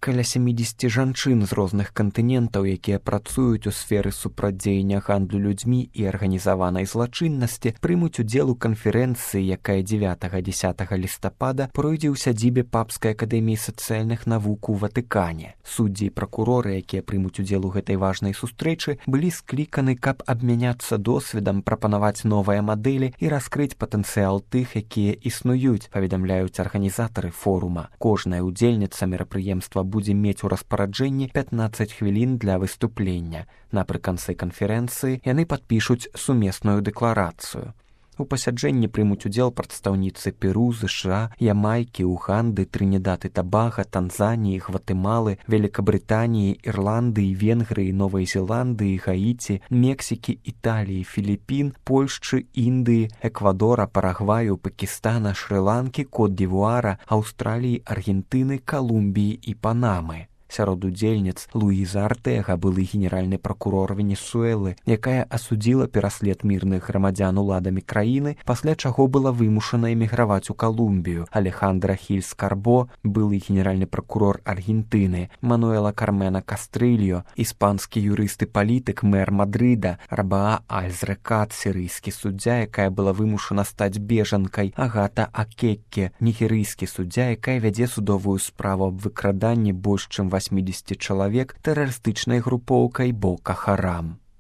каля 70 жанчын з розных кантынентаў, якія працуюць у сферы супрацьдзеяння гандлю людзьмі і арганізаванай злачыннасці, прымуць удзел у канферэнцыі, якая 9-10 лістапада пройдзе ў сядзібе Папскай акадэміі сацыяльных навук у Ватыкане. Суддзі і пракуроры, якія прымуць удзел у гэтай важнай сустрэчы, былі скліканы, каб абмяняцца досведам, прапанаваць новыя мадэлі і раскрыць патэнцыял тых, якія існуюць, паведамляюць арганізатары форума. Кожная удзельніца мерапрыемства будзе мець у распараджэнні 15 хвілін для выступлення. Напрыканцы канферэнцыі яны падпішуць сумесную дэкларацыю. У пасяджэнні прымуць удзел прадстаўніцы Перу, ЗША, Ямайкі, Уганды, Трынідад і Табага, Танзаніі, Гватэмалы, Великабрытаніі, Ірландыі, Венгрыі, Новай Зеландыі, Гаіці, Мексікі, Італіі, Філіпін, Польшчы, Індыі, Эквадора, Парагваю, Пакістана, Шры-Ланкі, Кот-д'Івуара, Аўстраліі, Аргентыны, Калумбіі і Панамы. Сярод удзельніц Луіза Артэга, былы генеральны пракурор Венесуэлы, якая асудзіла пераслед мірных грамадзян уладамі краіны, пасля чаго была вымушана эміграваць у Калумбію. Алехандра Хільс Карбо, былы генеральны пракурор Аргентыны, Мануэла Кармена Кастрыльо, іспанскі юрыст і палітык, мэр Мадрыда, Рабаа Альзрекат, сірыйскі суддзя, якая была вымушана стаць бежанкай, Агата Акекке, нігерыйскі суддзя, якая вядзе судовую справу аб выкраданні больш чым 80 чалавек тэрарыстычнай групоўкай Бока Харам.